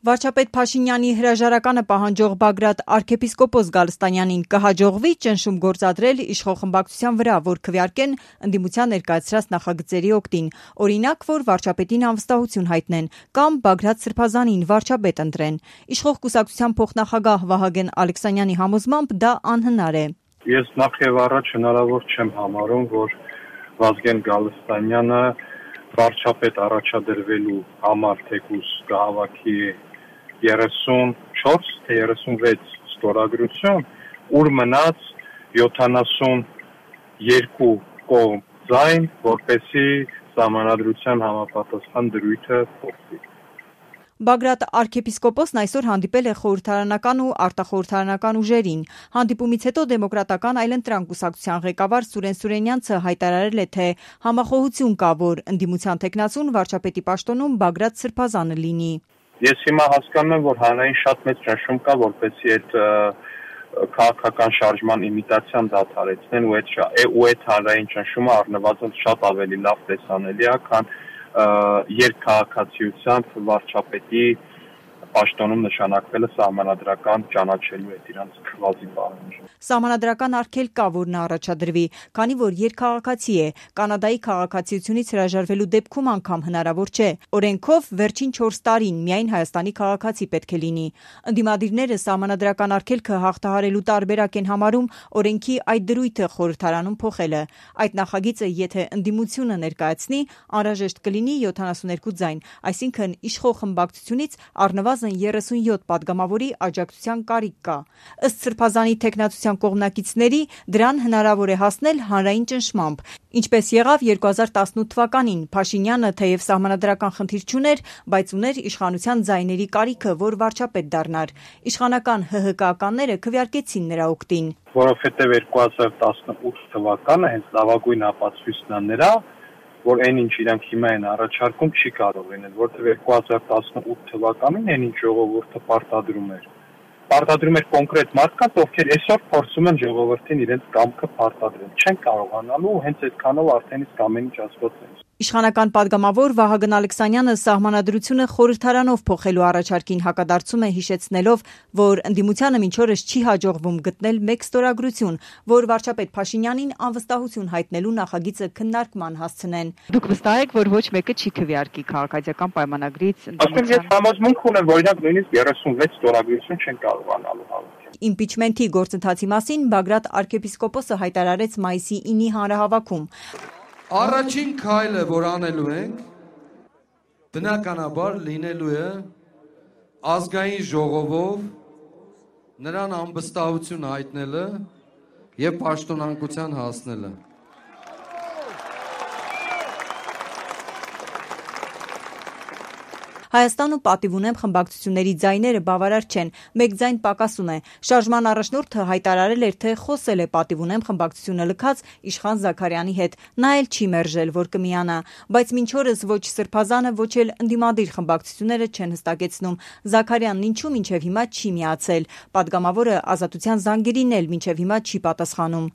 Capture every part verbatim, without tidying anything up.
Վարչապետ Փաշինյանի հրաժարականը պահանջող Բագրատ arczepiskopos Գալստանյանին կհաջողվի ճնշում գործադրել իշխող խմբակցության վրա, որ քվեարկեն ընդդիմության ներկայացրած նախագծերի օգտին, օրինակ, որ վարչապետին անվստահություն հայտնեն կամ Բագրատ Սրբազանին վարչապետ ընտրեն։ Իշխող կուսակցության փոխնախագահ Վահագն Ալեքսանյանի համոզմամբ դա անհնար է։ Ես նախ եւ առաջ հնարավոր չեմ համարում, որ Վազգեն Գալստանյանը վարչապետ առաջադրվելու համար թեկուզ կհավաքի երեսունչորս թե երեսունվեց ստորագրություն, ուր մնաց յոթանասունյոթ կողմ ձայն, որպեսզի սահմանադրության համապատասխան դրույթը փոխվի։ Բագրատ arczepiskoposն այսօր հանդիպել է խորհրդարանական ու արտախորհրդարանական ուժերին։ Հանդիպումից հետո դեմոկրատական այլընտրանք կուսակցության ղեկավար Սուրեն Սուրենյանցը հայտարարել է, թե համախոհություն կա, որ ընդդիմության թեկնածուն վարչապետի պաշտոնում Բագրատ Սրբազանը լինի։ Ես հիմա հասկանում եմ, որ հանրային շատ մեծ ճնշում կա, որպեսզի այդ քաղաքական շարժման իմիտացիան դադարեցնեն ու այդ ու այդ հանրային ճնշումը առնվազն շատ ավելի լավ տեսանելի է, քան երկքաղաքացիությամբ վարչապետի պաշտոնում նշանակվելը սահմանադրական ճանաչելու հետ իրանց քվազի պահանջը։ Սահմանադրական արգելք կա, որ նա առաջադրվի, քանի որ երկքաղաքացի է, Կանադայի քաղաքացիությունից հրաժարվելու դեպքում անգամ հնարավոր չէ։ Օրենքով վերջին չորս տարին միայն Հայաստանի քաղաքացի պետք է լինի։ Ընդդիմադիրները սահմանադրական արգելքը հաղթահարելու տարբերակ են համարում օրենքի այդ դրույթը խորհրդարանում փոխելը։ Այդ նախագիծը, եթե ընդդիմությունը ներկայացնի, անհրաժեշտ կլինի յոթանասունյոթ ձայն, այսինքն իշխող խմբակցությունից առնվազն երեսունյոթ պատգամավորի աջակցության կարիք կա։ Ըստ Սրբազանի թեկնածության կողմնակիցների, դրան հնարավոր է հասնել հանրային ճնշմամբ, ինչպես եղավ երկու հազար տասնութ թվականին։ Փաշինյանը թեև սահմանադրական խնդիր չուներ, բայց ուներ իշխանության ձայների կարիքը, որ վարչապետ դառնար։ Իշխանական ՀՀԿ-ականները քվեարկեցին նրա օգտին։ Որովհետև երկու հազար տասնութ թվականը հենց լավագույն ապացույցն է նրա, որ այն ինչ իրանք հիմա են առաջարկում չի կարող լինել, որտեղ երկու հազար տասնութ թվականին այն ինչ ժողովուրդը պարտադրում էր։ Պարտադրում էր կոնկրետ մարդկանց, ովքեր այսօր փորձում են ժողովրդին իրենց կամքը պարտադրել։ Չեն կարողանալու, հենց այդքանով արդեն իսկ ամեն ինչ ասված է։ Իշխանական պատգամավոր Վահագն Ալեքսանյանը սահմանադրությունը խորհրդարանով փոխելու առաջարկին հակադարձում է, հիշեցնելով, որ ընդդիմությանը մինչ օրս չի հաջողվում գտնել մեկ ստորագրություն, որ վարչապետ Փաշինյանին անվստահություն հայտնելու նախագիծը քննարկման հասցնեն։ Դուք վստահ եք, որ ոչ մեկը չի քվեարկի քաղաքացիական պայմանագրից ընդդիմության։ Ես համոզմունք ունեմ, որ իրանք նույնիսկ երեսունվեց ստորագրություն չեն կարողանալու հավաքել։ Իմպիչմենթի գործընթացի մասին Բագրատ arczepiskoposը հայտարարեց մայիսի ինի հանրահավաքում։ Առաջին քայլը, որ անելու ենք, բնականաբար լինելու է ազգային ժողովով նրան անվստահություն հայտնելը եւ պաշտոնանկության հասնելը։ Հայաստանում պատիվ ունեմ խմբակցությունների ձայները բավարար չեն, մեկ ձայն պակաս ունե։ Շարժման առաջնորդը հայտարարել էր, թե խոսել է պատիվ ունեմ խմբակցությունը լքած Իշխան Զաքարյանի հետ, նա էլ չի մերժել, որ կմիանա, բայց մինչ օրս ոչ Սրբազանը, ոչ էլ ընդդիմադիր խմբակցությունները չեն հստակեցնում Զաքարյանն ինչու մինչև հիմա չի միացել։ Պատգամավորը Ազատության զանգերին էլ մինչև հիմա չի պատասխանում։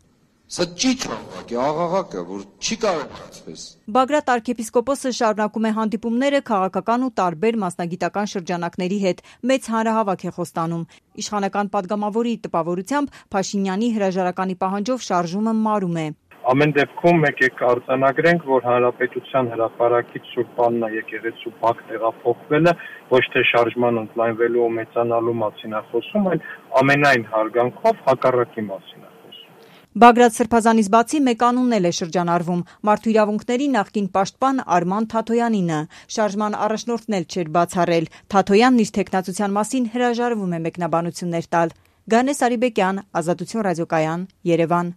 Սա ճիչ է, աղաղակը, որ չի կարող կացվես։ Բագրատ arczepiskoposը շարունակում է հանդիպումները քաղաքական ու տարբեր մասնագիտական շրջանակների հետ, մեծ հանրահավաք է խոստանում։ Իշխանական պատգամավորի տպավորությամբ Փաշինյանի հրաժարականի պահանջով շարժումը մարում է։ Ամեն դեպքում եկեք արձանագրենք, որ հանրապետության հրապարակից Սուրբ Աննա եկեղեցու բակ տեղափոխվելը ոչ թե շարժման ընդլայնվելու ու մեծանալու մասին է խոսում, այլ ամենայն հարգանքով հակառակի մասին է։ Բագրատ Սրբազանից բացի մեկ անունն էլ է շրջանառվում՝ մարդու իրավունքների նախկին պաշտպան Արման Թաթոյանինը։ Շարժման առաջնորդն էլ չէր բացառել։ Թաթոյանն իր թեկնածության մասին հրաժարվում է մեկնաբանություններ տալ։ Գանե Սարիբեկյան, Ազատություն ռադիոկայան, Երևան։